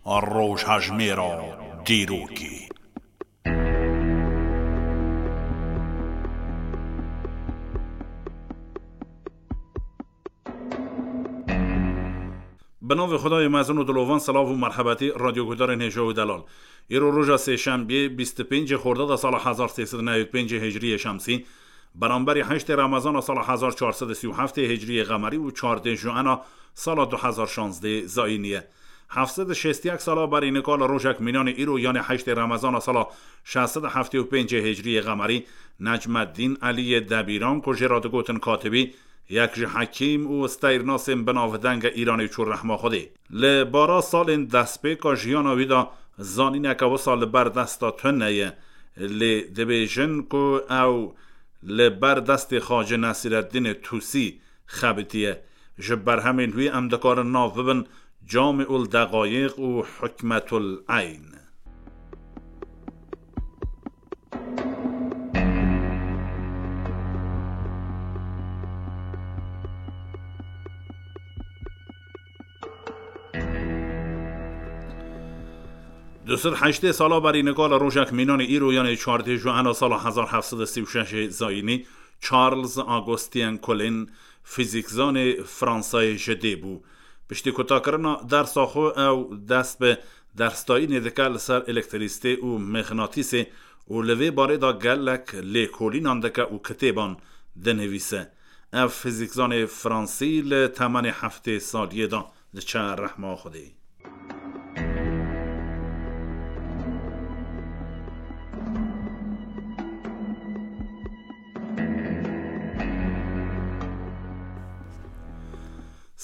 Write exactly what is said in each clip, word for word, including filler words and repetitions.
Rojhejmêra dîrokê. Bi navê Xwedayê mezin û dilovan, silav û merhebetî radyoguhdarên hêja û delal. Îro roja sêşembiyê, bîst û pêncê Xordada sala hezar sê sed û newî û pêncê Hicriyê Şemsî, beramberî heştê Remezana sala hezar çar sed û sî û heftê Hicriyê Qemerî û çardê Juena sala du hezar şazdê Zayînî ye. Heft sed û şêst û yek sala berî nika li rojek mînanê îro, yanê heştê Remezana sala şeş sed û heftê û pêncê Hicriyê Qemerî, Necmeddîn Eliyê Debîran, ku jê re digotin Katibî, yek ji hekîm û steyrnasên binavdeng e Îranê, çû rehma Xwedê. Li bara salên destpêka jiyana wî de zanîneke wisa li ber desta tune ye, lê dibêjin ku ew li ber destê Xacê Nesîreddînê Tusî xebitiye. Ji berhemên wî em dikarin nav bibin Camî ul Deqayiq û Hikmetul Eyn. Du sed heştê sala berî nika li rojek mînanê îro, yanê çardê Juena sala hezar heft sed û sî û şeş Zayînî, Charles Augustin Colin, fîzîkzanê Fransayê ji dê bû. Piştî kutakirina dersa xwe ew dest bi dersdayînê dike li ser elektrîsitê û mexnatîsê û li vê barê de gelek lêkolînan dike û kitêban dinivîse. Ev fîzîkzanê Fransî li temenê heftê saliyê de diçe rehma Xwedê.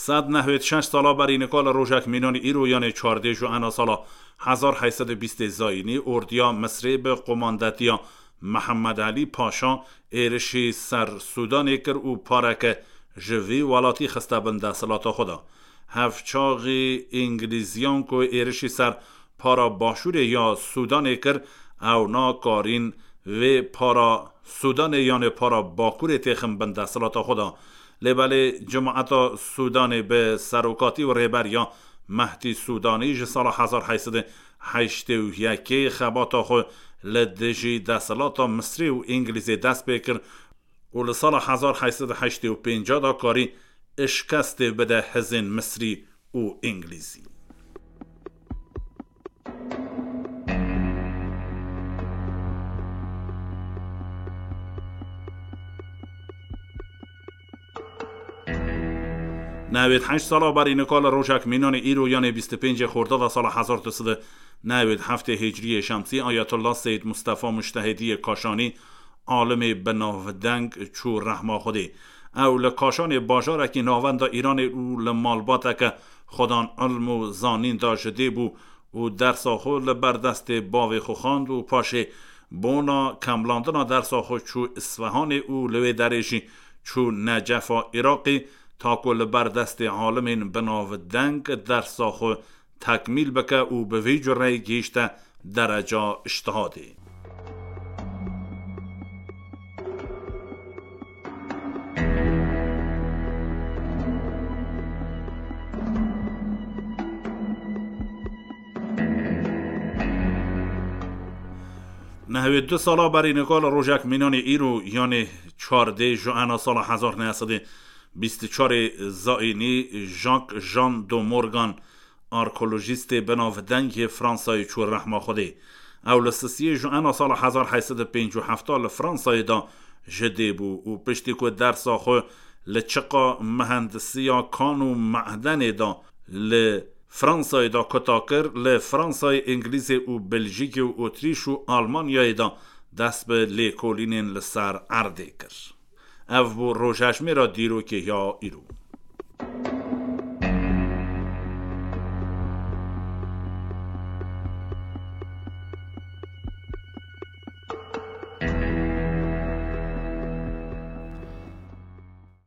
Sed nehwêd şeş sala berî nika li rojek mînanî îro, yanê çardê Juena sala hezar heyt sed û bîstê Zayînî, ordiya Misrê bi qomandetiya Mihemed Elî Paşa êrişî ser Sûdanê kir û pareke ji vî welatî xiste bin desthilata xwe de. Hevçaxî Îngilîziyan ku êrişî ser para başûrê ya Sûdanê kir, ew nakarîn vê para Sûdanê yanê para Bakurê têxin bin desthilata xwe de. Lê belê cemaeta Sûdanê bi serokatî û rêberiya Mehdî Sûdanî ji sala hezar heyt sed û heştê û yekê xebata xwe li dijî desthilata Misrê û Îngilîzê dest pê kir û li sala hezar heyt sed û heştê û pênc de karî şikestê bide hizên Misrî û Îngilîzî. Newêd heşt sala berî nika li rojek mînanê îro, yanê bîst û pêncê Xordada sala hezar du sed û newêd heftê Hicriyê Şemsî, Ayetullah Seyyid Mustafa Mujtehidiyê Kaşanî, alimê binavdeng, çû rehma Xwedê. Ew li Kaşanê bajarekî navenda Îranê û li malbateke xwedan ilm û zanîn de ji dê bû û dersa xwe li ber destê bavê xwe xwend û paşê bona kemlandina dersa xwe çû Isfehanê û li wê derê jî çû Necefa Iraqê, ta ku li ber destê alimên binavdeng dersa xwe tekmîl bike û bi vî cureyê gihîşte dereca îctihadê. Nehwê du sala berî nika li rojek mînanê îro, yanê çardê Juena sala hezar neh sed û bîst û çarê Zayînî, Jacques Jean de Morgan, arkeolojîstê binavdeng yê Fransayê çû rehma Xwedê. Ew li sisiyê Juena sala hezar heyt sed û pêncî û heft li Fransayê de ji dê bû û piştî ku dersa xwe li çiqa mihendisiya kan û mehdenê de li Fransayê de kuta kir, li Fransayê, Îngilîzê û Beljîkê û Otrîş û Almanyayê de dest bi lêkolînên li ser erdê kir. Ev bû rojhejmêra dîrokê ya îro.